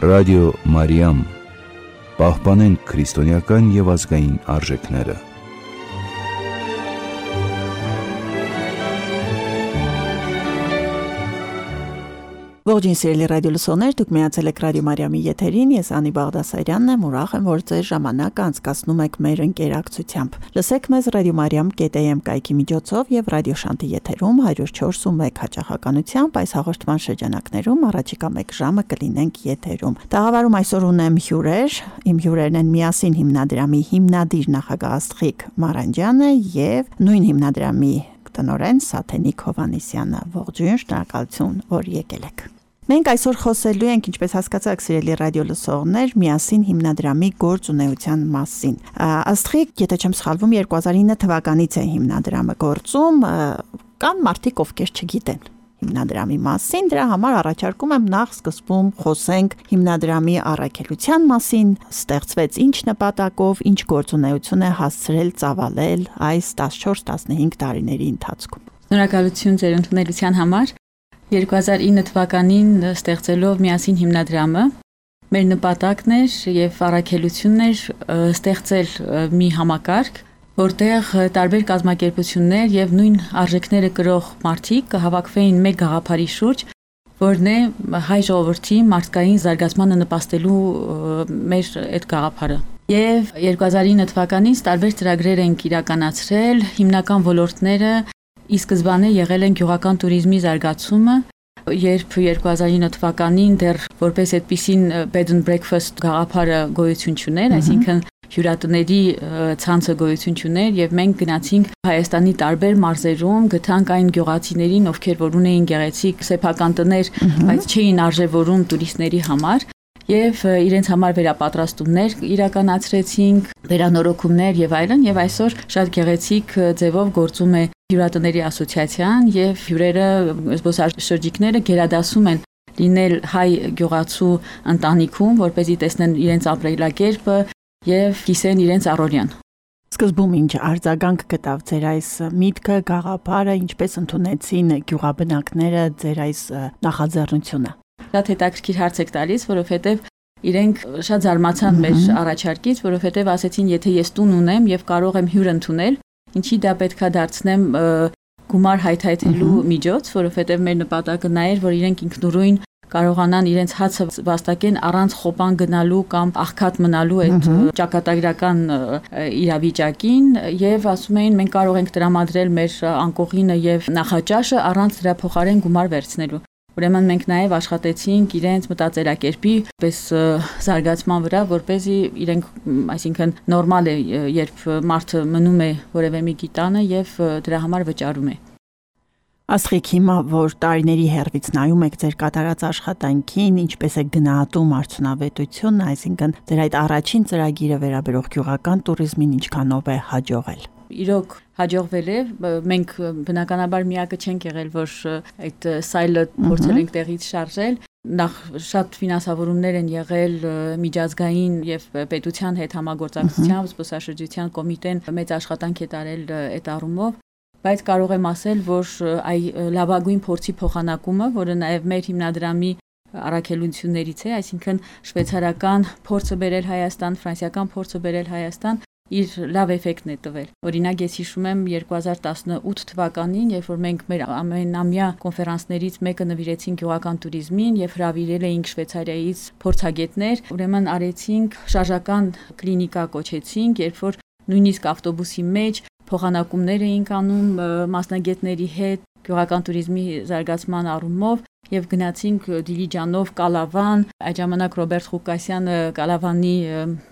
Ռադիո Մարիամ, պահպանենք քրիստոնեական և ազգային արժեքները։ Ողջույն սիրելի ռադիոլսողներ, դուք միացել եք Ռադիո Մարիամի եթերին, ես Անի Բաղդասարյանն եմ, ուրախ եմ, որ ձեր ժամանակը անցկացնում եք մեր ընկերակցությամբ։ Լսեք մեզ radiomariam.am կայքի միջոցով եւ ռադիոշանտի եթերում 104.1 հաճախականությամբ, այս հաղորդման շրջանակներում առաջիկա 1 ժամը կլինենք եթերում։ Տաղավարում այսօր ունեմ հյուրեր, իմ հյուրերն են Միասին հիմնադրամի հիմնադիր նախագահ Աստղիկ Մարանդյանը եւ նույն հիմնադրամի տնօրեն Սաթենիկ Հովհաննիսյանը։ Ողջույն, շնորհակալություն, որ եկել եք։ Մենք այսօր խոսելու ենք, ինչպես հասկացաք, սիրելի ռադիոլսողներ, Միասին հիմնադրամի գործունեության մասին։ Աստղիկ, եթե չեմ սխալվում, 2009 թվականից է հիմնադրամը գործում, կան մարդիկ, ովքեր չգիտեն հիմնադրամի մասին, դրա համար առաջարկում եմ նախ սկզբում խոսենք հիմնադրամի առաքելության մասին, ստեղծվեց ինչ նպատակով, ինչ գործունեություն է հասցրել ծավալել այս 14-15 տարիների ընթացքում։ Շնորհակալություն ձեր ընդունելության համար։ 2009 թվականին ստեղծելով Միասին հիմնադրամը, մեր նպատակն էր եւ առաքելությունն էր ստեղծել մի համակարգ, որտեղ տարբեր կազմակերպություններ եւ նույն արժեքները կրող մարդիկ կհավաքվեին մեկ գաղափարի շուրջ, որն է հայ ժողովրդի մարդկային զարգացմանը նպաստելու մեր այդ գաղափարը։ Եվ 2009 թվականից տարբեր ծրագրեր ենք իրականացրել, հիմնական ոլորտները ի սկզբանե եղել են գյուղական туриզմի զարգացումը, երբ 2009 թվականին դեռ որպես այդպիսին bed and breakfast գաղափարը գոյություն չուներ, այսինքն հյուրատների ցանցը գոյություն չուներ եւ մենք գնացինք Հայաստանի տարբեր մարզերում, գտանք այն գյուղացիներին, ովքեր որ ունեին գեղեցիկ սեփական տներ, բայց չէին արժևորում տուրիստների համար եւ իրենց համար վերապատրաստումներ իրականացրեցինք, վերանորոգումներ եւ այլն, եւ այսօր շատ գեղեցիկ ձևով գործում է հյուրատների ասոցիացիան եւ հյուրերը զբոսաշրջիկները գերադասում են լինել հայ գյուղացու ընտանիքում, որպեսզի տեսնեն իրենց ապրելակերպը եւ կիսեն իրենց առօրյան։ Սկզբում ինչ արձագանք գտավ ձեր այս միտքը, գաղափարը, ինչպես ընդունեցին գյուղաբնակները ձեր այս նախաձեռնությունը։ Շատ հետաքրքիր հարց եք տալիս, որովհետեւ իրենք շատ զարմացան մեր առաջարկից, որովհետեւ ասեցին, եթե ես տուն ունեմ եւ կարող եմ հյուր ընդունել, ինչի դա պետքա դարձնեմ գումար հայթայթելու միջոց, որովհետեւ մեր նպատակը նա էր, որ իրենք ինքնուրույն կարողանան իրենց հացը վաստակեն առանց խոպան գնալու կամ աղքատ մնալու այդ ճակատագրական իրավիճակին եւ ասում էին մենք կարող ենք տրամադրել մեր անկողինը եւ նախաճաշը առանց դրա փոխարեն գումար վերցնելու։ Ուրեմն մենք նաև աշխատեցինք իրենց մտածելակերպի պես զարգացման վրա, որպեսզի իրենք, այսինքն նորմալ է, երբ մարդը մնում է որևէ մի գիտանը եւ դրա համար վճարում է։ Աստղիկ, հիմա որ տարիների հեռվից նայում եք ձեր կատարած աշխատանքին, ինչպես է գնահատում արդյունավետությունը, այսինքն ձեր այդ առաջին ծրագիրը վերաբերող գյուղական туриզմին ինչքանով է հաջողել։ Իրոք հաջողվել է, մենք բնականաբար միակը չենք եղել, որ այդ սայլը փորձել ենք տեղից շարժել, նախ շատ ֆինանսավորումներ են եղել միջազգային եւ պետության հետ համագործակցությամբ, զբոսաշրջության կոմիտեն մեծ աշխատանք է տարել այդ առումով, բայց կարող եմ ասել, որ այ լավագույն փորձի փոխանակումը, որը նաեւ մեր հիմնադրամի առաքելություններից է, այսինքն շվեյցարական փորձը բերել Հայաստան, ֆրանսիական փորձը բերել Հայաստան, իր լավ էֆեկտն է տվել։ Օրինակ ես հիշում եմ 2018 թվականին, երբ որ մենք մեր ամենամյա կոնֆերանսներից մեկը նվիրեցինք գյուղական туриզմին եւ հրավիրել էինք Շվեյցարիայից փորձագետներ, ուրեմն արեցինք շարժական կլինիկա կոչեցինք, երբ որ նույնիսկ ավտոբուսի մեջ փոխանակումներ էինք անում մասնագետների հետ գյուղական туриզմի զարգացման առումով եւ գնացինք Դիլիջանով Կալավան, այդ ժամանակ Ռոբերտ Ղուկասյանը Կալավանի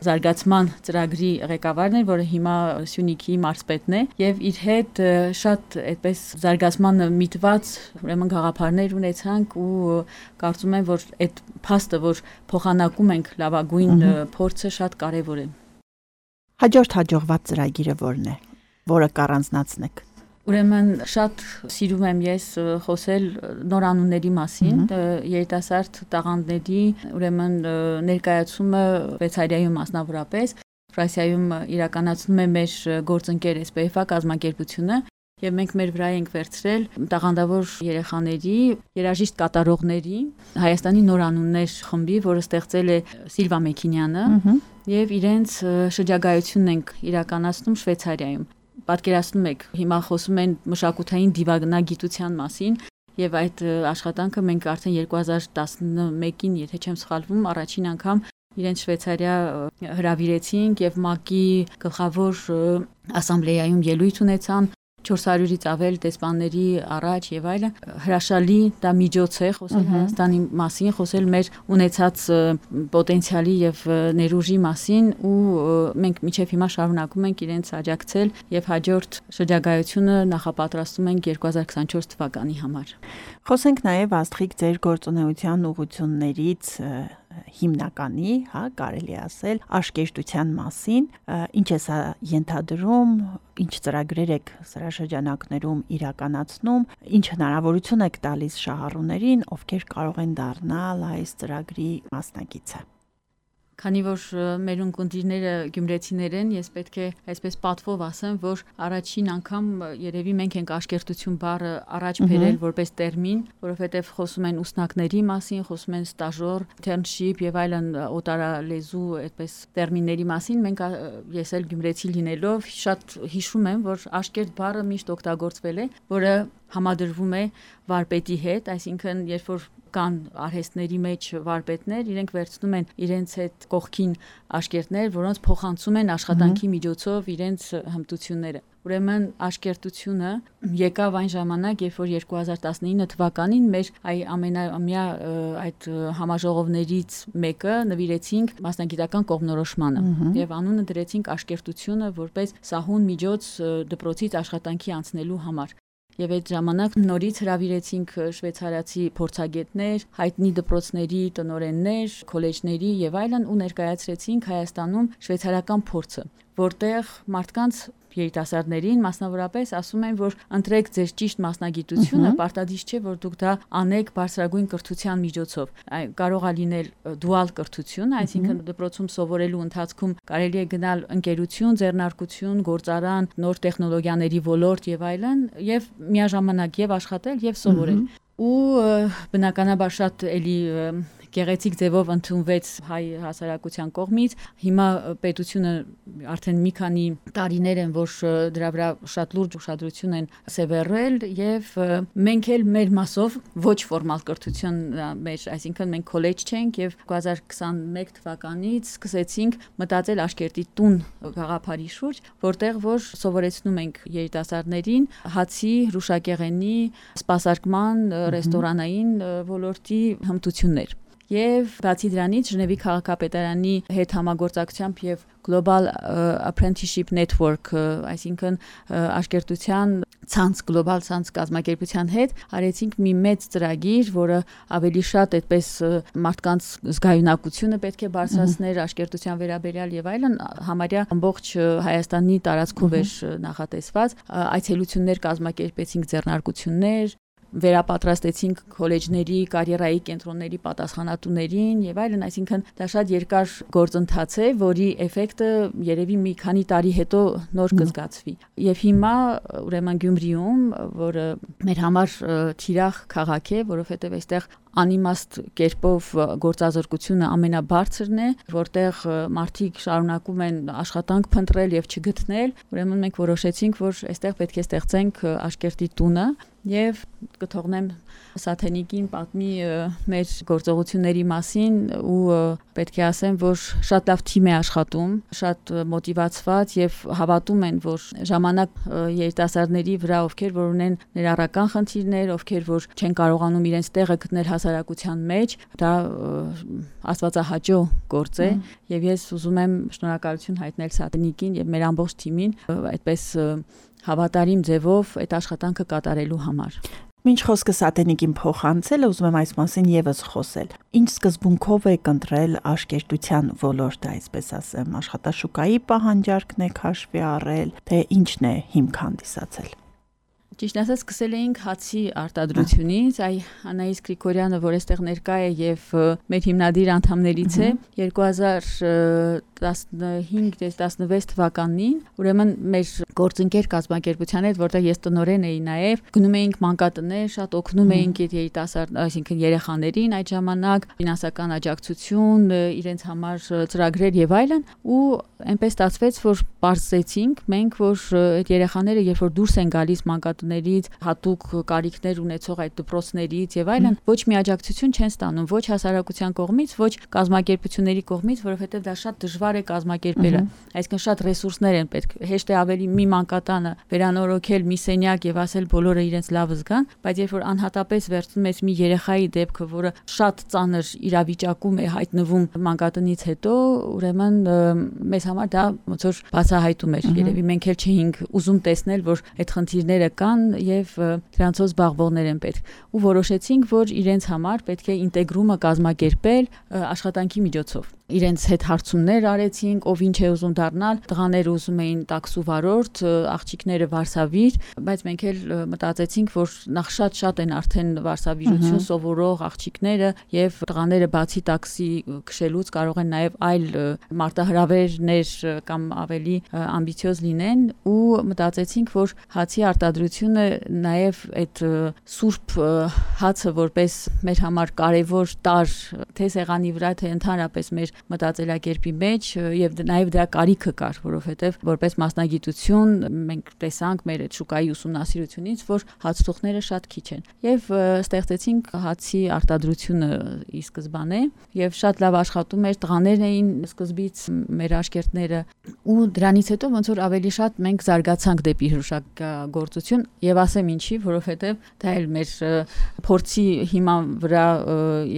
զարգացման ծրագրի ղեկավարն էր, որը հիմա Սյունիքի մարզպետն է, եւ իր հետ շատ այդպես զարգացմանը միտված ուրեմն գաղափարներ ունեցանք ու կարծում եմ, որ այդ փաստը, որ փոխանակում ենք լավագույն փորձը շատ կարեւոր է։ Հաջորդ հաջողված ծրագիրը որն է, որը կառանձնացնեք։ Ուրեմն շատ սիրում եմ ես խոսել նորանունների մասին, երիտասարդ տաղանդների, ուրեմն ներկայացումը Շվեյցարիայում մասնավորապես, Ֆրանսիայում իրականացնում է մեր գործընկեր SPF կազմակերպությունը եւ մենք մեր վրա ենք վերցրել տաղանդավոր երեխաների, երաժիշտ կատարողների Հայաստանի նոր անուններ խմբի, որը ստեղծել է Սիլվա Մեքինյանը եւ իրենց շրջագայությունն ենք իրականացնում Շվեյցարիայում։ Պատկերացնում եք, հիմա խոսում են մշակութային դիվանագիտության մասին եւ այդ աշխատանքը մենք արդեն 2011-ին, եթե չեմ սխալվում, առաջին անգամ իրենց Շվեյցարիա հրավիրեցինք եւ ՄԱԿ-ի գլխավոր ասամբլեայում ելույթ ունեցան 400-ից ավել դեսպանների առաջ եւ այլն հրաշալի դա միջոց է խոսել Հայաստանի մասին, խոսել մեր ունեցած պոտենցիալի եւ ներուժի մասին ու մենք մինչեւ հիմա շարունակում ենք իրենց աջակցել եւ հաջորդ շրջագայությունը նախապատրաստում ենք 2024 թվականի համար։ Խոսենք նաեւ Աստղիկ ձեր գործունեության ուղղություններից հիմնականի, կարելի ասել, աշկերտության մասին, ինչ է սա ենթադրում, ինչ ծրագրեր եք սրա շրջանակներում իրականացնում, ինչ հնարավորություն եք տալիս շահառուներին, ովքեր կարող են դառնալ այս ծրագրի մասնակիցը։ Քանի որ մեր ունկնդիրները գյումրեցիներ են, ես պետք է այսպես պատվով ասեմ, որ առաջին անգամ երևի մենք ենք աշկերտություն բառը առաջ բերել որպես տերմին, որովհետև խոսում են ուսնակների մասին, խոսում են ստաժոր, internship եւ այլն օտարալեզու այդպես տերմինների մասին, մենք ես էլ գյումրեցի լինելով շատ հիշում եմ, որ աշկերտ բառը միշտ օգտագործվել է, որը համադրվում է վարպետի հետ, այսինքն երբ որ կան արհեստների մեջ վարպետներ, իրենք վերցնում են իրենց հետ կողքին աշկերտներ, որոնց փոխանցում են աշխատանքի միջոցով իրենց հմտությունները։ Ուրեմն աշկերտությունը եկավ այն ժամանակ, երբ որ 2019 թվականին մեր ամենամյա այդ համաժողովներից մեկը նվիրեցինք մասնագիտական կողմնորոշմանը եւ անունը դրեցինք աշկերտությունը որպես սահուն միջոց դպրոցից աշխատանքի անցնելու համար։ Եվ այդ ժամանակ նորից հրավիրեցինք շվեյցարացի փորձագետներ, հայտնի դպրոցների տնօրեններ, քոլեջների եւ այլն ու ներկայացրեցինք Հայաստանում շվեյցարական փորձը, որտեղ մարդկանց երիտասարդներին մասնավորապես ասում են, որ ընտրեք ձեր ճիշտ մասնագիտությունը, պարտադիր չէ, որ դուք դա անեք բարձրագույն կրթության միջոցով։ Կարող է լինել դուալ կրթություն, այսինքն դպրոցում սովորելու ընթացքում կարելի է գնալ ընկերություն, ձեռնարկություն, գործարան, նոր տեխնոլոգիաների ոլորտ եւ այլն, եւ միաժամանակ եւ աշխատել եւ սովորել։ Ու բնականաբար շատ էլի գեղեցիկ ձևով ընդունվեց հայ հասարակության կողմից։ Հիմա պետությունը արդեն մի քանի տարիներ են, որ դրա վրա շատ լուրջ ուշադրություն են սևեռել եւ մենք էլ մեր մասով ոչ ֆորմալ կրթություն մեր, այսինքն մենք քոլեջ չենք եւ 2021 թվականից սկսեցինք մտածել աշկերտի տուն գաղափարի շուրջ, որտեղ որ սովորեցնում ենք երիտասարդներին հացի, հրուշակեղենի, սպասարկման, ռեստորանային ոլորտի հմտություններ։ Եվ բացի դրանից Ժնևի քաղաքապետարանի հետ համագործակցությամբ եւ Global Apprenticeship Network, այսինքն աշկերտության ցանց, գլոբալ ցանց կազմակերպության հետ արեցինք մի մեծ ծրագիր, որը ավելի շատ այդպես մարդկանց զգայունակությունը պետք է բարձրացներ աշկերտության վերաբերյալ եւ այլն, համարյա ամբողջ Հայաստանի տարածքով էր նախատեսված, այցելություններ կազմակերպեցինք, ձեռնարկություններ վերապատրաստեցինք քոլեջների, կարիերայի կենտրոնների պատասխանատուներին եւ այլն, այսինքն դա շատ երկար գործընթաց է, որի էֆեկտը երևի մի քանի տարի հետո նոր կզգացվի։ Եվ հիմա ուրեմն Գյումրիում, որը մեր համար թիրախ քաղաք է, որովհետեւ այստեղ անիմաստ կերպով գործազրկությունը ամենաբարձրն է, որտեղ մարդիկ շարունակում են աշխատանք փնտրել եւ չգտնել, ուրեմն մենք որոշեցինք, որ այստեղ պետք է ստեղծենք աշկերտի տունը եւ կթողնեմ Սաթենիկին պատմի մեր գործողությունների մասին ու պետք է ասեմ, որ շատ լավ թիմ է աշխատում, շատ մոտիվացված եւ հավատում են, որ ժամանակ երիտասարդների վրա, ովքեր որ ունեն ներառական խնդիրներ, ովքեր որ չեն կարողանում իրենց տեղը գտնել հասարակության մեջ, դա աստվածահաճո գործ է եւ ես ուզում եմ շնորհակալություն հայտնել Սաթենիկին եւ մեր ամբողջ թիմին այդպես հավատարիմ ձևով այդ աշխատանքը կատարելու համար։ Մինչ խոսքը Սաթենիկին փոխանցել, ուզում եմ այս մասին եւս խոսել։ Ինչ սկզբունքով եք ընտրել աշկերտության ոլորտը, այսպես ասեմ, աշխատաշուկայի պահանջարկն եք հաշվի առել, թե ինչն է հիմք հանդիսացել։ Ճիշտ ասած, սկսել էինք հացի արտադրությունից, Անահիս Գրիգորյանը, որ այստեղ ներկա է եւ մեր հիմնադիր անդամներից է, 15-16 թվականին, ուրեմն մեր գործընկեր կազմակերպության հետ, որտեղ ես տնօրեն էի նաև, գնում էինք մանկատներ, շատ օգնում էինք երիտասարդ, այսինքն երեխաներին այդ ժամանակ, ֆինանսական աջակցություն, իրենց համար ծրագրեր եւ այլն, ու այնպես ստացվեց, որ բարձեցինք մենք, որ այդ երեխաները երբ որ դուրս են գալիս մանկատներից, հատուկ կարիքներ ունեցող այդ դպրոցներից եւ այլն, ոչ մի աջակցություն չեն ստանում, ոչ հասարակության կողմից, ոչ կազմակերպությունների կողմից, որովհետեւ դա շատ դժվար է կազմակերպելը, այսինքն շատ ռեսուրսներ են պետք, հեշտ է ավելի մի մանկատանը վերանորոգել մի սենյակ եւ ասել բոլորը իրենց լավ զգան, բայց երբ որ անհատապես վերցնում ես մի երեխայի դեպքը, որը շատ ծանր իրավիճակում է հայտնվում մանկատնից հետո, ուրեմն մեզ համար դա ոնց որ բացահայտում էր, երևի մենք էլ չէինք ուզում տեսնել, որ այդ խնդիրները կան եւ դրանցով զբաղվողներ են պետք, ու որոշեցինք, որ իրենց համար պետք է ինտեգրումը կազմակերպել աշխատանքի միջոցով։ Իրենց հետ հարցումներ արեցինք, ով ինչ է ուզում դառնալ, տղաները ուզում էին տաքսու վարորդ, աղջիկները վարսավիր, բայց մենք էլ մտածեցինք, որ նախ շատ են արդեն վարսավիրություն սովորող աղջիկները եւ տղաները բացի տաքսի քշելուց կարող են նաեւ այլ մարտահրավերներ կամ ավելի ամբիցիոզ լինեն, ու մտածեցինք, որ հացի արտադրությունը նաեւ այդ սուրբ հացը որպես մեր համար կարևոր տարր թե սեղանի վրա, թե ընդհանրապես մեր մտածելակերպի մեջ եւ նաեւ դրա կարիքը կար, որովհետեւ որպես մասնագիտություն մենք տեսանք մեր այդ շուկայի ուսումնասիրությունից, որ հացթուղթները շատ քիչ են եւ ստեղծեցինք հացի արտադրությունը ի սկզբանե եւ շատ լավ աշխատում էր, տղաներն էին սկզբից մեր աշկերտները, ու դրանից հետո ոնց որ ավելի շատ մենք զարգացանք դեպի հրուշագործություն եւ ասեմ ինչի, որովհետեւ դա էլ մեր փորձի հիման վրա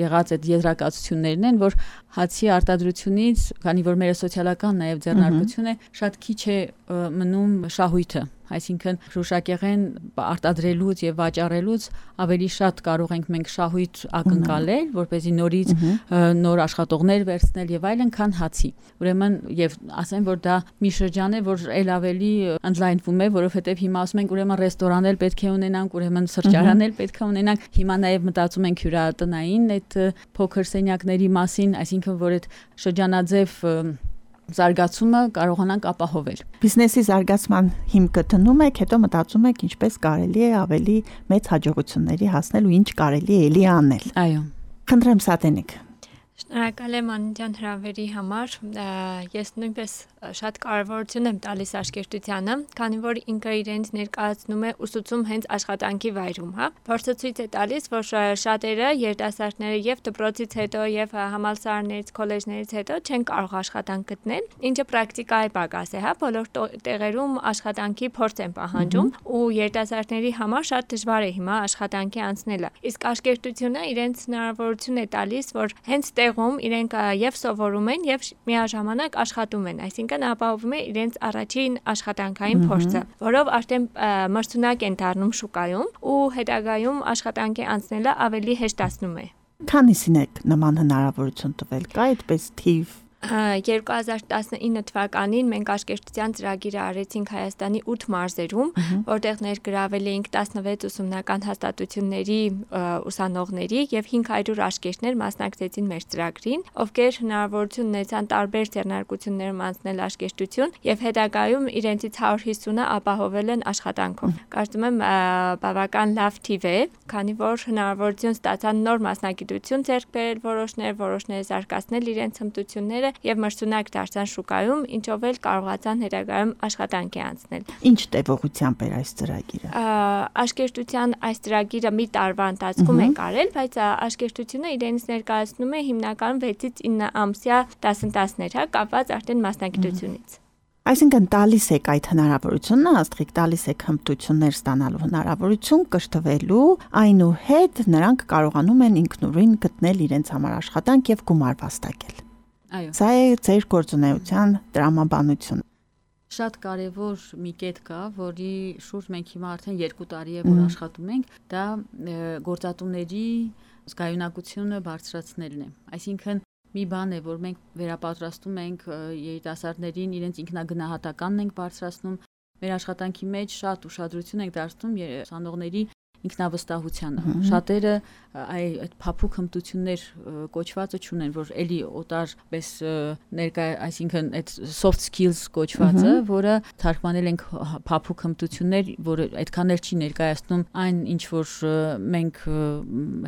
եղած այդ եզրակացություններն են, որ հացի արտադրությունից, քանի որ մեր սոցիալական նաև ձեռնարկություն է, շատ քիչ է մնում շահույթը, այսինքն հրուշակեղեն արտադրելուց եւ վաճառելուց ավելի շատ կարող ենք մենք շահույթ ակնկալել, որպեսզի նորից նոր աշխատողներ վերցնել եւ այլն, քան հացի։ Ուրեմն եւ ասեմ, որ դա մի շրջան է, որ ել ավելի ընդլայնվում է, որովհետեւ հիմա ասում ենք ուրեմն ռեստորան էլ պետք է ունենանք, ուրեմն սրճարան էլ պետք է ունենանք, հիմա նաեւ մտածում ենք հյուրատնային այդ փոքր սենյակների մասին, այսինքն որ այդ շրջանաձև զարգացումը կարողանանք ապահովել։ Բիզնեսի զարգացման հիմքը դնում եք, հետո մտածում եք ինչպես կարելի է ավելի մեծ հաջողությունների հասնել ու ինչ կարելի է էլի անել։ Այո։ Խնդրեմ Սատենիկ։ Շնորհակալ եմ Աննության հրավերի համար։ Ես նույնպես շատ կարևորություն եմ տալիս աշկերտությանը, քանի որ ինքը իրենց ներկայացնում է ուսուցում հենց աշխատանքի վայրում, հա։ Փորձը ցույց է տալիս, որ շատերը երիտասարդները եւ դպրոցից հետո եւ համալսարաններից, քոլեջներից հետո չեն կարող աշխատանք գտնել, ինչը պրակտիկայի պակաս է, հա։ Բոլոր տեղերում աշխատանքի փորձ են պահանջում ու երիտասարդների համար շատ դժվար է հիմա աշխատանքի անցնելը։ Իսկ աշկերտությունը իրենց հնարավորություն է տալիս, որ հենց տեղում իրենք եւ սովորում են եւ միաժամանակ աշխատում են, այսինքն ապահովում է իրենց առաջին աշխատանքային փորձը, որով արդեն մրցունակ են դառնում շուկայում ու հետագայում աշխատանքի անցնելը ավելի հեշտացնում է։ Քանիսին եք նման հնարավորություն տվել, կա այդպես թիվ 2019 թվականին մենք աշկերտության ծրագիրը արեցինք Հայաստանի 8 մարզերում, որտեղ ներգրավել էինք 16 ուսումնական հաստատությունների ուսանողների եւ 500 աշկերտներ մասնակցեցին մեր ծրագրին, ովքեր հնարավորություն ունեցան տարբեր ձեռնարկություններում անցնել աշկերտություն եւ հետագայում իրենցից 150-ը ապահովել են աշխատանքով։ Կարծում եմ բավական լավ թիվ է, քանի որ հնարավորություն ստացան նոր մասնագիտություն ձեռք բերել որոշները զարգացնել իրենց հմտությունները եւ մրցունակ դարձան շուկայում, ինչով էլ կարողացան հետագայում աշխատանքի անցնել։ Ինչ տևողությամբ էր այս ծրագիրը։ Աշկերտության այս ծրագիրը մի տարվա ընթացքում է կարել, բայց աշկերտությունը իրենից ներկայացնում է հիմնականում 6-ից 9 ամսյա դասընթացներ, հա, կապված արդեն մասնագիտությունից։ Այսինքն տալիս եք այդ հնարավորությունը, աստղիկ տալիս եք հմտություններ ստանալու հնարավորություն կշտվելու, այնուհետ նրանք կարողանում են ինքնուրույն գտնել իրենց համար աշխատանք եւ գումար վաստակել։ Այո։ Սա է ձեր գործունեության տրամաբանությունը։ Շատ կարևոր մի կետ կա, որի շուրջ մենք հիմա արդեն 2 տարի է որ աշխատում ենք, դա գործատուների զգայունակությունը բարձրացնելն է։ Այսինքն մի բան է, որ մենք վերապատրաստում ենք երիտասարդներին, իրենց ինքնագնահատականն ենք բարձրացնում, մեր աշխատանքի մեջ շատ ուշադրություն ենք դարձնում ուսանողների ինքնավստահությանը։ Շատերը այդ փափուկ հմտություններ կոչվածը չունեն, որ էլի օտար պես ներկա, այսինքն այդ soft skills կոչվածը, որը թարգմանել ենք փափուկ հմտություններ, որը այդքան էլ չի ներկայացնում այն, ինչ որ մենք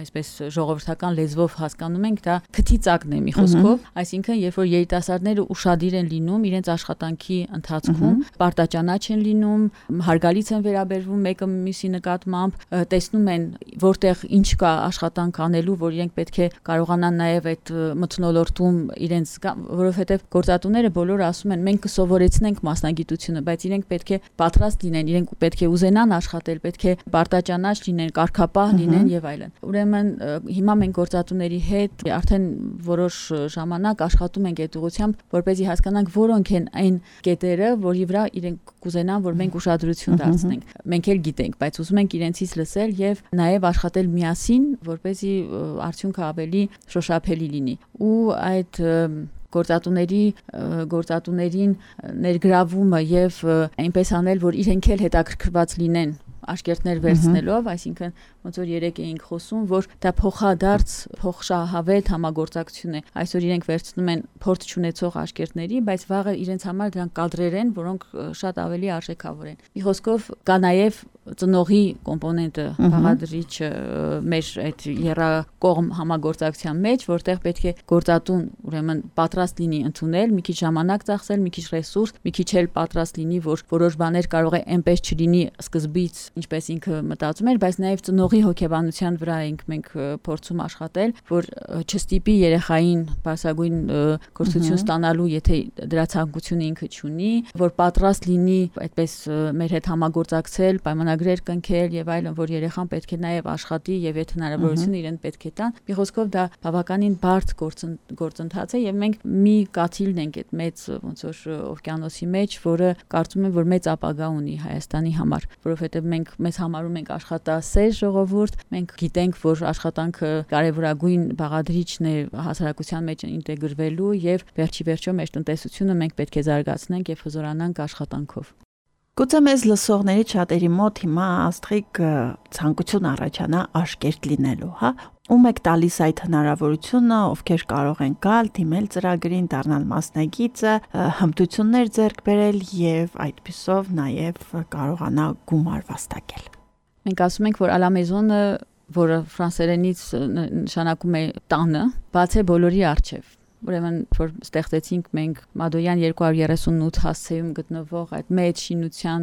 այսպես ժողովրդական լեզվով հասկանում ենք, դա քթի ծակն է մի խոսքով, այսինքն երբ որ երիտասարդները ուշադիր են լինում իրենց աշխատանքի ընթացքում, պարտաճանաչ են լինում, հարգալից են վերաբերվում մեկը մյուսի նկատմամբ, տեսնում են որտեղ ինչ կա աշխատանք անելու, որ իրենք պետք է կարողանան նաև այդ մթնոլորտում իրենց, որովհետև գործատուները բոլորը ասում են մենք կսովորեցնենք մասնագիտությունը, բայց իրենք պետք է պատրաստ լինեն, իրենք պետք է ուզենան աշխատել, պետք է պարտաճանաչ լինեն, կարգապահ լինեն եւ այլն։ Ուրեմն հիմա մենք գործատուների հետ արդեն որոշ ժամանակ աշխատում ենք այդ ուղղությամբ, որպեսզի հասկանանք որոնք են այն կետերը, որի վրա իրենք կուզենան, որ մենք ուշադրություն դարձնենք։ Մենք էլ գիտենք, բայց ուզում ենք իրենցից լսել եւ նաեւ աշխատել միասին, որպեսզի արդյունքը ավելի շոշափելի լինի։ Ու այդ գործատուներին ներգրավումը եւ այնպես անել, որ իրենք էլ հետաքրքրված լինեն աշկերտներ վերցնելով, այսինքն ոնց որ երեք էինք խոսում, որ դա փոխադարձ փոխշահավետ համագործակցություն է։ Այսօր իրենք վերցնում են փորձ չունեցող աշկերտների, բայց վաղը իրենց համար դրանք կադրեր են, որոնք շատ ավելի արժեքավոր են։ Մի խոսքով կա նաև ծնողի կոմպոնենտը, բաղադրիչը մեր այդ երակողմ համագործակցության մեջ, որտեղ պետք է գործատուն ուրեմն պատրաստ լինի ընդունել, մի քիչ ժամանակ ծախսել, մի քիչ ռեսուրս, մի քիչ էլ պատրաստ լինի, որ որոշ բաներ կարող է այնպես չլինի սկզբից, ինչպես ինքը մտածում էր, բայց նաև ծնողի հոգեբանության վրա ենք մենք փորձում աշխատել, որ չստիպի երեխային բարձրագույն կրթություն ստանալու, եթե դրա ցանկությունը ինքը չունի, որ պատրաստ լինի այդպես մեր հետ համագործակցել, պայմանագրեր կնքել եւ այլն, որ երեխան պետք է նաև աշխատի եւ այդ հնարավորությունը իրեն պետք է տան։ Մի խոսքով դա բավականին բարդ գործընթաց է եւ մենք մի կաթիլն ենք այդ մեծ ոնց որ օվկիանոսի մեջ, որը կարծում եմ, որ մեծ ապագա ունի Հայաստանի համար, որովհետեւ մենք մեզ համարում ենք աշխատասեր ժողովուրդ, մենք գիտենք, որ աշխատանքը կարևորագույն բաղադրիչն է հասարակության մեջ ինտեգրվելու եւ վերջի մեր տնտեսությունը մենք պետք է զարգացնենք եւ հզորանանք աշխատանքով։ Գուցե մեզ լսողների շատերի մոտ հիմա Աստղիկ ցանկություն առաջանա աշկերտ լինելու, հա? Ում եք տալիս այդ հնարավորությունը, ովքեր կարող են գալ, դիմել ծրագրին, դառնալ մասնագիծը, հմտություններ ձեռք բերել եւ այդպիսով նաեւ կարողանա գումար վաստակել։ Մենք ասում ենք, որ à la maison-ը, որը ֆրանսերենից նշանակում է տանը, բաց է բոլորի առջև։ Ուրեմն որ ստեղծեցինք մենք Մադոյան 238 հասցեում գտնվող այդ մեծ շինության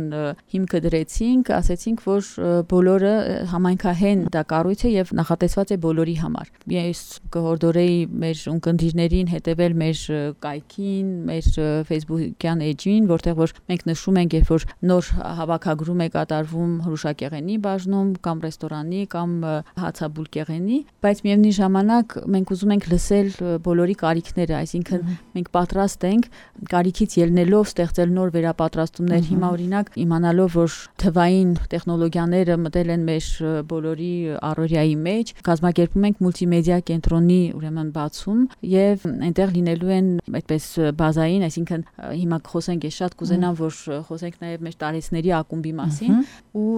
հիմքը դրեցինք, ասեցինք, որ բոլորը համայնքահեն դա կառույց է եւ նախատեսված է բոլորի համար։ Ես կհորդորեի մեր ունկնդիրներին հետեւել մեր կայքին, մեր Facebook-յան էջին, որտեղ որ մենք նշում ենք, երբ որ նոր հավաքագրում է կատարվում հրուշակեղենի բաժնում կամ ռեստորանի կամ հացաբուլկեղենի, բայց միևնույն ժամանակ մենք ուզում ենք լսել բոլորի կարիքները, այսինքն մենք պատրաստ ենք կարիքից ելնելով ստեղծել նոր վերապատրաստումներ։ Հիմա օրինակ իմանալով, որ թվային տեխնոլոգիաները մտել են մեր բոլորի առօրյայի մեջ, կազմակերպում ենք մուլտիմեդիա կենտրոնի ուրեմն բացում եւ այնտեղ լինելու են այդպես բազային, այսինքն հիմա խոսենք, ես շատ կուզենամ, որ խոսենք նաեւ մեր տարեցների ակումբի մասին ու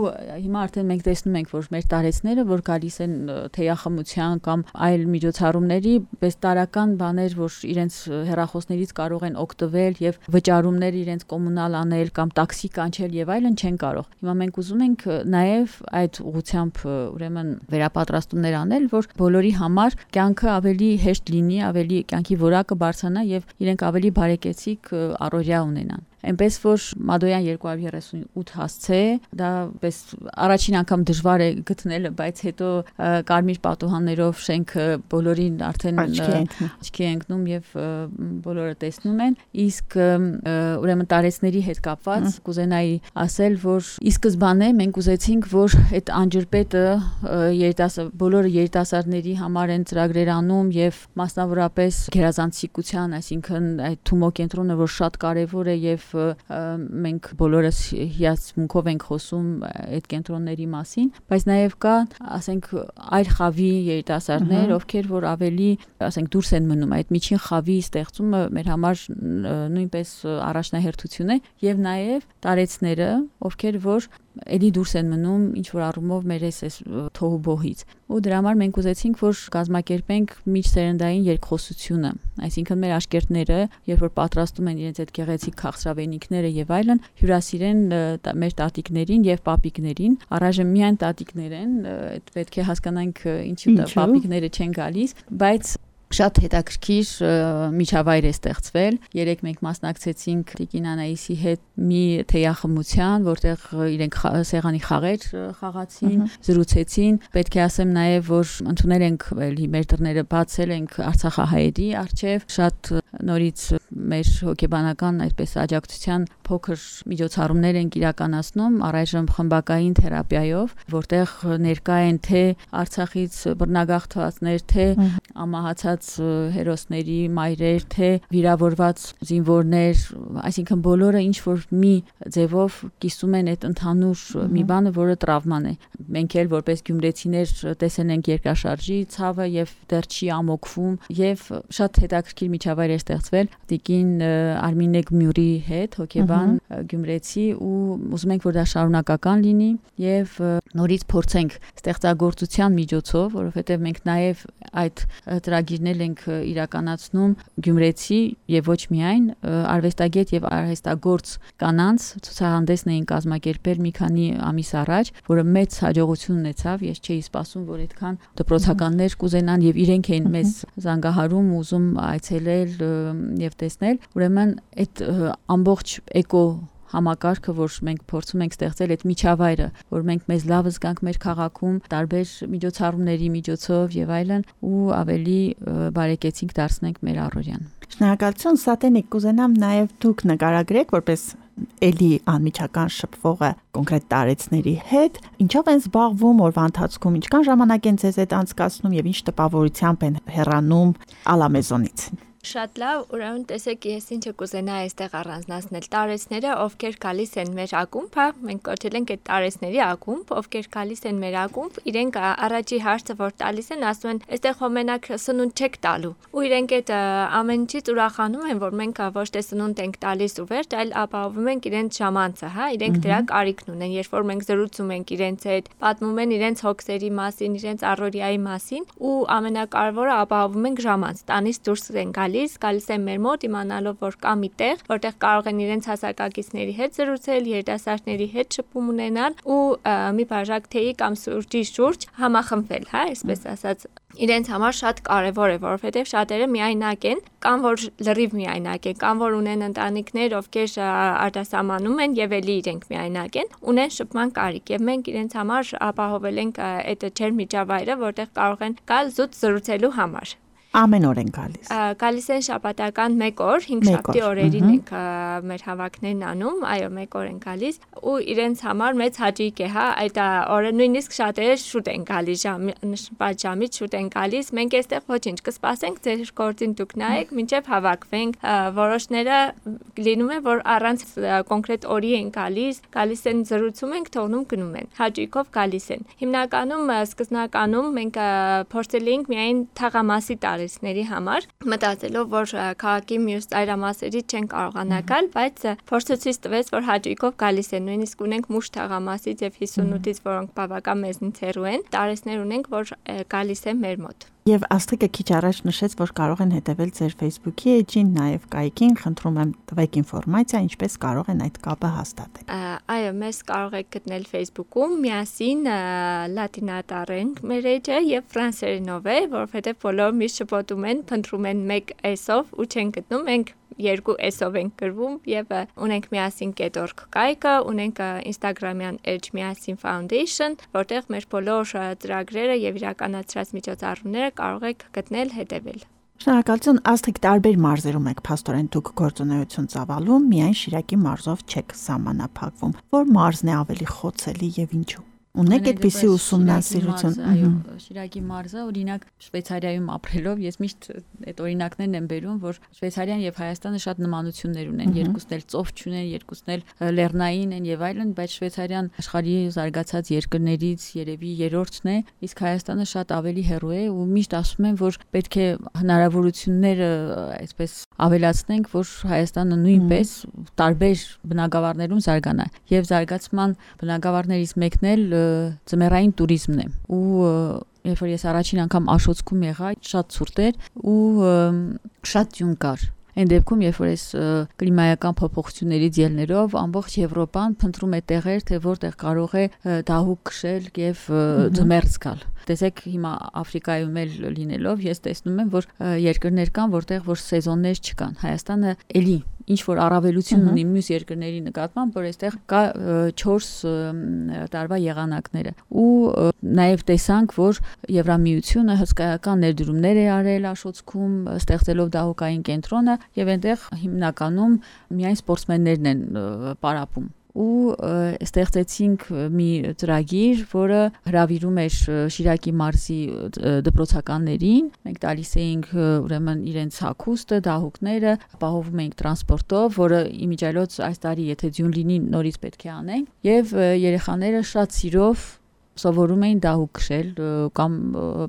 հիմա արդեն մենք տեսնում ենք, որ մեր տարեցները, որ գալիս են թեյախմության կամ այլ միջոցառումների, պես տարական բաներ, որ իրենց հեռախոսներից կարող են օգտվել եւ վճարումներ իրենց կոմունալ անել կամ տաքսի կանչել եւ այլն չեն կարող։ Հիմա մենք ուզում ենք նաեւ այդ ուղղությամբ ուրեմն վերապատրաստումներ անել, որ բոլորի համար կյանքը ավելի հեշտ լինի, ավելի կյանքի որակը բարձրանա եւ իրենք ավելի բարեկեցիկ առօրյա ունենան։ Այնպես որ Մադոյան 238 հասցե, դա պես առաջին անգամ դժվար է գտնելը, բայց հետո կարմիր պատուհաններով շենքը բոլորին արդեն աչքի ընկնում եւ բոլորը տեսնում են։ Իսկ ուրեմն տարեցների հետ կապված կուզենայի ասել, որ ի սկզբանե մենք ուզեցինք, որ այդ անջրպետը բոլորը երիտասարդների համար են ծրագրեր անում եւ մասնավորապես գերազանցիկության, այսինքն այդ Թումո կենտրոնը, որ շատ կարեւոր է եւ մենք բոլորս հիացմունքով ենք խոսում այդ կենտրոնների մասին, բայց նաև կա, ասենք, այլ խավի երիտասարդներ, ովքեր որ ավելի, ասենք, դուրս են մնում, այդ միջին խավի ստեղծումը մեր համար նույնպես առաջնահերթություն է, եւ նաև տարեցները, ովքեր որ էլի դուրս են մնում ինչ որ առումով մեր այս թոհուբոհից, ու դրա համար մենք ուզեցինք որ կազմակերպենք միջսերնդային երկխոսությունը, այսինքն մեր աշկերտները, երբ որ պատրաստում են իրենց այդ գեղեցիկ քաղցրավենիքները եւ այլն, հյուրասիրեն մեր տատիկներին եւ պապիկներին, առայժմ միայն տատիկներ են, այդ պետք է հասկանանք ինչու պապիկները չեն գալիս, բայց շատ հետաքրքիր միջավայր է ստեղծվել։ Երեք մենք մասնակցեցինք Տիկին Անահիսի հետ մի թեյախմության, որտեղ իրենք սեղանի խաղեր խաղացին, զրուցեցին։ Պետք է ասեմ նաև, որ ընդունել ենք մեր դռները բացել ենք արցախահայերի առջև, շատ նորից մեր հոգեբանական այսպես աջակցության փոքր միջոցառումներ ենք իրականացնում առայժմ խմբակային թերապիայով, որտեղ ներկա են թե Արցախից բռնագաղթվածներ, թե ամահացած հերոսների մայրեր, թե վիրավորված զինվորներ, այսինքն բոլորը ինչ որ մի ձևով կիսում են այդ ընդհանուր մի բանը, որը տրավման է։ Մենք էլ որպես գյումրեցիներ տեսել ենք երկրաշարժի ցավը եւ դեռ չի ամոքվում եւ շատ հետաքրքիր միջավայր է ստեղծվել Տիկին Արմինե Գմյուրի հետ, հոգեբան գյումրեցի, ու ուզում ենք որ դա շարունակական լինի եւ նորից փորձենք ստեղծագործության միջոցով, որովհետեւ մենք նաեւ այդ ծրագիրներ ենք իրականացնում գյումրեցի եւ ոչ միայն արվեստագետ եւ արհեստագործ կանանց ցուցահանդեսն էին կազմակերպել մի քանի ամիս առաջ, որը մեծ հաջողություն ունեցավ, ես չէի սպասում, որ այդքան դպրոցականներ կուզենան եւ իրենք էին մեզ զանգահարում, ուզում այցելել եւ տեսնել, ուրեմն այդ ամբողջ էկո համակարգը, որ մենք փորձում ենք ստեղծել այդ միջավայրը, որ մենք մեզ լավ զգանք մեր քաղաքում, տարբեր միջոցառումների միջոցով եւ այլն, ու ավելի բարեկեցիկ դարձնենք մեր առօրյան։ Շնորհակալություն, Սատենիկ, կուզենամ նաև դուք նկարագրեք որպես էլի անմիջական շփվողը կոնկրետ տարեցների հետ, ինչով են զբաղվում օրվա ընթացքում, ինչքան ժամանակ են ձեզ հետ անցկացնում եւ ինչ տպավորությամբ են հեռանում Ալամեզոնից։ Շատ լավ, ուրեմն տեսեք, ես ինչը կուզենայի այստեղ առանձնացնել տարեցները, ովքեր գալիս են մեր ակումբ, մենք կոչել ենք այդ տարեցների ակումբ, ովքեր գալիս են մեր ակումբ, իրենք առաջի հարցը որ տալիս են, ասում են, այստեղ հոմենակ սնունդ չեք տալու։ Ու իրենք այդ ամեն ինչից ուրախանում են, որ մենք ոչ թե սնունդ ենք տալիս ու վերջ, այլ ապահովում ենք իրենց ժամանցը, իրենք դրա կարիքն ունեն, երբ որ մենք զրուցում ենք իրենց հետ, պատմում են իրենց հոգսերի մասին, իրենց առօրյայի մասին, ու ամենակարևորը ապահովում ենք ժամանց, տանից դուրս են գալիս են մեր մոտ իմանալով, որ կա մի տեղ, որտեղ կարող են իրենց հասակակիցների հետ զրուցել, երիտասարդների հետ շփում ունենալ ու մի բաժակ թեյի կամ սուրճի շուրջ համախմբվել, այսպես ասած։ Իրենց համար շատ կարևոր է, որովհետև շատերը միայնակ են, կամ որ լրիվ միայնակ են, կամ որ ունեն ընտանիքներ, ովքեր արտասահմանում են եւ էլի իրենք միայնակ են, ունեն շփման կարիք եւ մենք իրենց համար ապահովել ենք այդ ջերմ միջավայրը, որտեղ կարող են գալ զուտ զրուցելու համար։ Ամեն օր են գալիս։ Գալիս են շաբաթական 1 օր, 5 շաբթի օրերին ենք մեր հավաքներն անում, այո, 1 օր են գալիս ու իրենց համար մեծ հաճույք է, այդ օրը նույնիսկ շատերը շուտ են գալիս, ժամից շուտ են գալիս, մենք այստեղ ոչինչ կսպասենք, ձեր գործին դուք նայեք, մինչև հավաքվենք, որոշները լինում է, որ առանց կոնկրետ օրի են գալիս են զրուցում ենք, թողնում գնում են, հաճույքով գալիս են։ Հիմնականում սկզբնականում մենք փորձել ենք միայն թաղամասի տարեցների համար, մտածելով, որ քաղաքի մյուս ծայրամասերից չեն կարողանա գալ, բայց փորձը ցույց տվեց, որ հաճույքով գալիս են, նույնիսկ ունենք մուշ թաղամասից եւ 58-ից, որոնք բավական մեզնից հեռու են, տարեցներ ունենք, որ գալիս են մեր մոտ։ Եվ Աստղիկը քիչ առաջ նշեց, որ կարող են հետևել ձեր Facebook-ի էջին, նաև կայքին, խնդրում եմ տվեք ինֆորմացիա, ինչպես կարող են այդ կապը հաստատել։ Այո, մեզ կարող եք գտնել Facebook-ում, միասին լատինատառեն մեր էջը եւ ֆրանսերենով է, որովհետեւ բոլորը միշտ շփոթում են, փնտրում են մեկ S-ով ու չեն գտնում, մենք 2 S-ով ենք գրվում եւ ունենք միասին .org կայքը, ունենք Instagram-յան Edge միասին Foundation, որտեղ մեր բոլոր ծրագրերը եւ իրականացրած միջոցառումները կարող եք գտնել, հետևել։ Շնորհակալություն, Աստղիկ, տարբեր մարզերում եք փաստորեն դուք գործունեություն ծավալում, միայն Շիրակի մարզով չեք սահմանափակվում։ Որ մարզն է ավելի խոցելի եւ ինչու։ Ունեք այդպիսի ուսումնասիրություն։ Այո, Շիրակի մարզը, օրինակ Շվեյցարիայում ապրելով, ես միշտ այդ օրինակներն եմ բերում, որ Շվեյցարիան եւ Հայաստանը շատ նմանություններ ունեն, երկուսն էլ ծով չունեն, երկուսն էլ լեռնային են եւ այլն, բայց Շվեյցարիան աշխարհի զարգացած երկրներից երևի երրորդն է, իսկ Հայաստանը շատ ավելի հեռու է ու միշտ ասում են, որ պետք է հնարավորությունները այսպես ավելացնենք, որ Հայաստանը նույնպես տարբեր բնակավարներում զարգանա եւ զարգացման բնակավարներից մեկն էլ ձմեռային туриզմն է ու երբ որ ես առաջին անգամ Աշոցքում եղա, շատ ցուրտ էր ու շատ ձյուն կար։ Այն դեպքում, երբ որ այս կլիմայական փոփոխություններից ելներով ամբողջ Եվրոպան փնտրում է տեղեր, թե որտեղ կարող է դահուկ քշել եւ ձմեռ զգալ։ Տեսեք, հիմա Աֆրիկայում էլ լինելով, ես տեսնում եմ, որ երկրներ կան, որտեղ որ սեզոններ չկան։ Հայաստանը էլի ինչ որ առավելություն ունի մյուս երկրների նկատմամբ, որ այստեղ կա 4 տարվա եղանակները։ Ու նաև տեսանք, որ Եվրամիությունը հսկայական ներդրումներ է արել Աշոցքում, ստեղծելով դահուկային կենտրոնը, եւ այնտեղ հիմնականում միայն սպորտսմեններն են պարապում։ Ու ստեղծեցինք մի ծրագիր, որը հրավիրում էր Շիրակի մարզի դպրոցականներին։ Մենք տալիս էինք ուրեմն իրենց հագուստը, դահուկները, ապահովում էինք տրանսպորտով, որը իմիջիայլոց այս տարի եթե ձյուն լինի նորից պետք է անենք, եւ երեխաները շատ սիրով սովորում էին դահուկ քշել կամ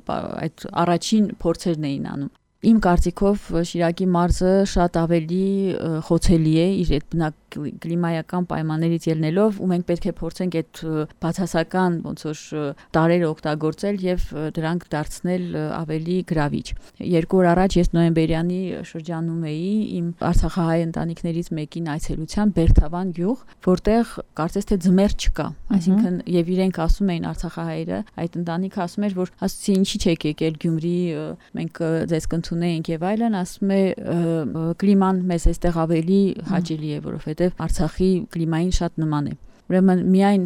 այդ առաջին փորձերն էին անում։ Իմ կարծիքով Շիրակի մարզը շատ ավելի խոցելի է իր այդ կլիմայական պայմաններից ելնելով ու մենք պետք է փորձենք այդ բացասական ոնց որ տարերը օգտագործել եւ դրանք դարձնել ավելի գրավիչ։ 2 օր առաջ ես նոյեմբերյանի շրջանում էի իմ արցախահայ ընտանիքներից մեկին այցելության Բերթավան գյուղ, որտեղ կարծես թե ձմեռ չկա, այսինքն եւ իրենք ասում էին արցախահայերը, այդ ընտանիքը ասում էր, որ ասեցի ինչի՞ չեք եկել Գյումրի, մենք ձեզ կընդունեինք եւ այլն, ասում է կլիման մեզ այստեղ ավելի հաճելի է, որովհետեւ Արցախի կլիմային շատ նման է։ Ուրեմն միայն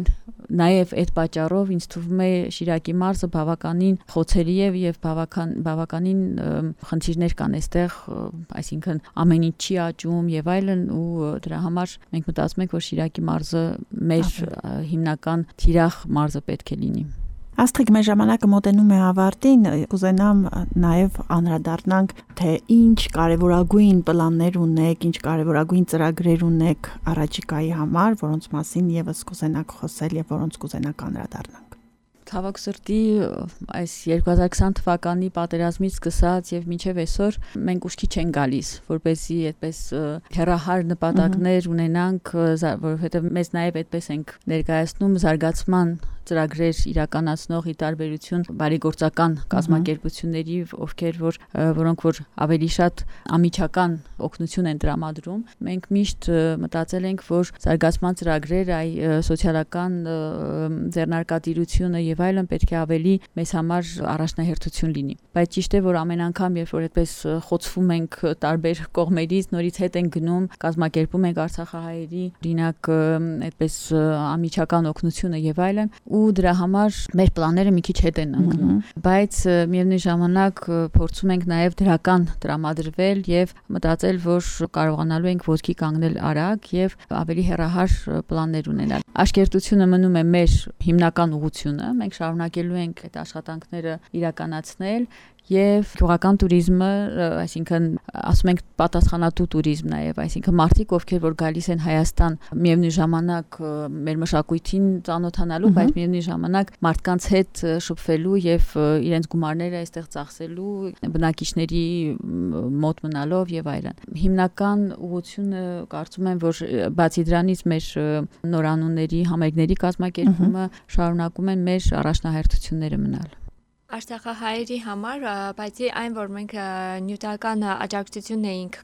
նաև այդ պատճառով ինձ թվում է Շիրակի մարզը բավականին խոցելի է եւ բավականին խնդիրներ կան այստեղ, այսինքն ամեն ինչ չի աճում եւ այլն ու դրա համար մենք մտածում ենք, որ Շիրակի մարզը մեր հիմնական թիրախ մարզը պետք է լինի։ Աստղիկ, մեր ժամանակը մոտենում է ավարտին, կուզենամ նաև անդրադառնանք, թե ինչ կարևորագույն պլաններ ունեք, ինչ կարևորագույն ծրագրեր ունեք առաջիկայի համար, որոնց մասին եւս կուզենաք խոսել եւ որոնց կուզենաք անդրադառնանք։ Ցավոք սրտի այս 2020 թվականի պատերազմից սկսած եւ մինչեւ այսօր մենք ուշքի չենք գալիս, որպեսզի այդպես հերահար նպատակներ ունենանք, որովհետեւ մեզ նաեւ այդպես ենք ներկայացնում զարգացման ծրագրեր իրականացնող ի տարբերություն բարեգործական կազմակերպությունների, որոնք որ ավելի շատ ամիջական օգնություն են տրամադրում, մենք միշտ մտածել ենք, որ զարգացման ծրագրեր, այ սոցիալական ձեռնարկատիրությունը եւ այլն պետք է ավելի մեզ համար առաջնահերթություն լինի։ Բայց ճիշտ է, որ ամեն անգամ, երբ որ այդպես խոցվում ենք տարբեր կողմերից, նորից հետ ենք գնում, կազմակերպում ենք արցախահայերի, օրինակ այդպես ամիջական օգնությունը եւ այլն, ու դրա համար մեր պլանները մի քիչ հետ են ընկնում, բայց միևնույն ժամանակ փորձում ենք նաև դրական տրամադրվել եւ մտածել, որ կարողանալու ենք ոտքի կանգնել արագ եւ ավելի հեռահար պլաններ ունենալ։ Աշկերտությունը մնում է մեր հիմնական ուղղությունը, մենք շարունակելու ենք այդ աշխատանքները իրականացնել եւ գյուղական туриզմը, այսինքն ասում ենք պատասխանատու туриզմ նաեւ, այսինքն մարդիկ, ովքեր որ գալիս են Հայաստան, միևնույն ժամանակ մեր մշակույթին ծանոթանալու, բայց միևնույն ժամանակ մարդկանց հետ շփվելու եւ իրենց գումարները այստեղ ծախսելու, բնակիչների մոտ մնալով եւ այլն։ Հիմնական ուղղությունը կարծում եմ, որ բացի դրանից մեր նորանունների համերգների կազմակերպումը շարունակում են մեր առաջնահերթությունները մնալ։ Արցախահայերի համար, բացի այն, որ մենք նյութական աջակցություն էինք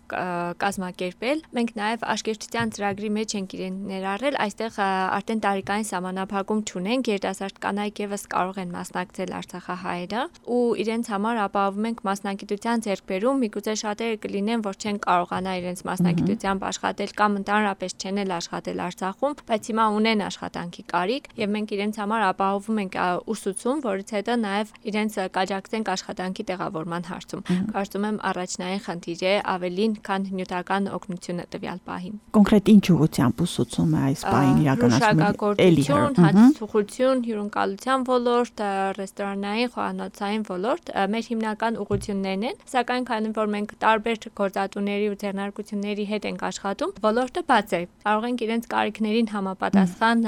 կազմակերպել, մենք նաև աշկերտության ծրագրի մեջ ենք իրեն ներառել, այստեղ արդեն տարիքային սահմանափակում չունենք, երիտասարդ կանայք եւս կարող են մասնակցել արցախահայերը ու իրենց համար ապահովում ենք մասնագիտության ձեռքբերում, միգուցե շատերը կլինեն, որ չեն կարողանա իրենց մասնագիտությամբ աշխատել կամ ընդհանրապես չեն էլ աշխատել Արցախում, բայց հիմա ունեն աշխատանքի կարիք եւ մենք իրենց համար ապահովում ենք ուսուցում, որից հետո նաև իրենց կաջակցենք աշխատանքի տեղավորման հարցում։ Կարծում եմ առաջնային խնդիր է ավելին, քան նյութական օգնությունը տվյալ պահին։ Կոնկրետ ինչ ուղղությամբ ուսուցում է այս պահին իրականացնում, հացուցողություն, հյուրընկալության ոլորտ, ռեստորանային, խոհանոցային ոլորտ մեր հիմնական ուղղություններն են, սակայն քանի որ մենք տարբեր գործատուների ու ձեռնարկությունների հետ ենք աշխատում, ոլորտը բաց է։ Կարող ենք իրենց կարիքներին համապատասխան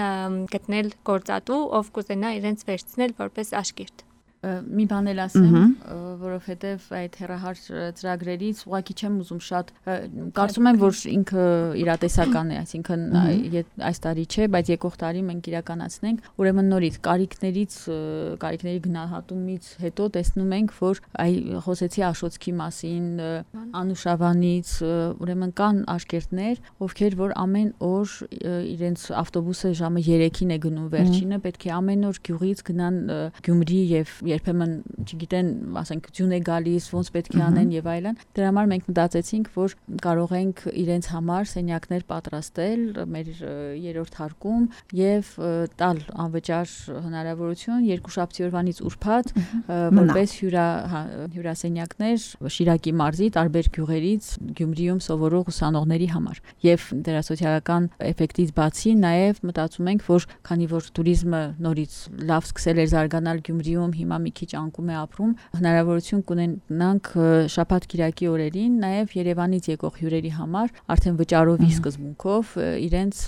գտնել գործատու, ով կուզենա իրենց վերցնել որպես աշկերտ։ Մի բան էլ ասեմ, որովհետև այդ հեռահար ծրագրերից ուղղակի չեմ ուզում շատ կարծում եմ, որ ինքը իրատեսական է, այսինքն այս տարի չէ, բայց եկող տարի մենք իրականացնենք, ուրեմն նորից կարիքների գնահատումից հետո տեսնում ենք, որ խոսեցի Աշոտսկի մասին, Անուշավանից, ուրեմն կան աշկերտներ, ովքեր որ ամեն օր իրենց ավտոբուսը ժամը 3-ին է գնում վերջինը, պետք է ամեն օր գյուղից գնան Գյումրի եւ երբեմն, չգիտեն, ասենք ձյուն է գալիս, ոնց պետք է անեն եւ այլն։ Դրա համար մենք մտածեցինք, որ կարող ենք իրենց համար սենյակներ պատրաստել մեր երրորդ հարկում եւ տալ անվճար հնարավորություն երկուշաբթի օրվանից ուրբաթ որպես հյուրասենյակներ Շիրակի մարզի տարբեր գյուղերից Գյումրիում սովորող ուսանողների համար։ Եվ դրա սոցիալական էֆեկտից բացի նաեւ մտածում ենք, որ քանի որ туриզմը նորից լավ սկսել էր զարգանալ Գյումրիում, հիմա մի քիչ անկում է ապրում, հնարավորություն կունենանք շաբաթ-կիրակի օրերին նաև Երևանից եկող հյուրերի համար արդեն վճարովի սկզբունքով իրենց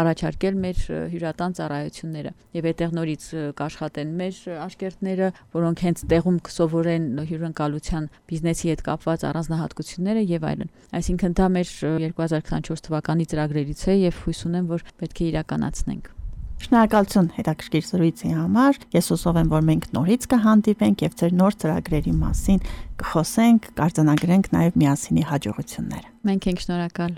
առաջարկել մեր հյուրատան ծառայությունները եւ այդտեղ նորից կաշխատեն մեր աշկերտները, որոնք հենց տեղում կսովորեն հյուրընկալության բիզնեսի հետ կապված առանձնահատկությունները եւ այլն։ Այսինքն դա մեր 2024 թվականի ծրագրերից է եւ հույս ունեմ, որ պետք է իրականացնենք։ Շնորհակալություն հետաքրքիր զրույցի համար։ Ես հուսով եմ, որ մենք նորից կհանդիպենք եւ ձեր նոր ծրագրերի մասին կխոսենք, կարձանագրենք նաեւ միասինի հաջողությունները։ Մենք ենք շնորհակալ։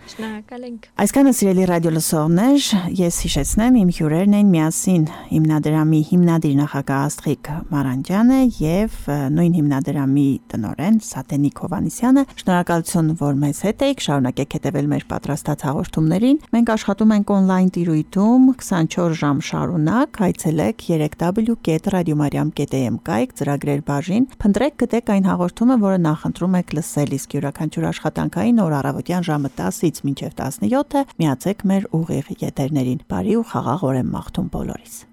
Շնորհակալ ենք։ Այսքանը սիրելի ռադիո լսողներ, ես հիշեցնեմ իմ հյուրերն են միասին հիմնադրամի հիմնադիր նախագահ Աստղիկ Մարանդյանը եւ նույն հիմնադրամի տնօրեն Սատենիկ Հովանիսյանը։ Շնորհակալություն, որ մեզ հետ եք, շարունակեք հետևել մեր պատրաստած հաղորդումներին։ Մենք աշխատում ենք on-line տիրույթում 24 ժամ շարունակ, հայցելեք www.radiomariam.am կայք ծրագրեր բաժին, փնտրեք գտեք այն հաղորդումը, որը նախընտրում եք լսել, իսկ յուրաքանչյուր աշխատանքային օր առավոտյան ժամը 10-ից մինչև 17-ը միացեք մեր ուղիղ եթերներին։ Բարի ու խաղաղ օր եմ մաղթում բոլորիս։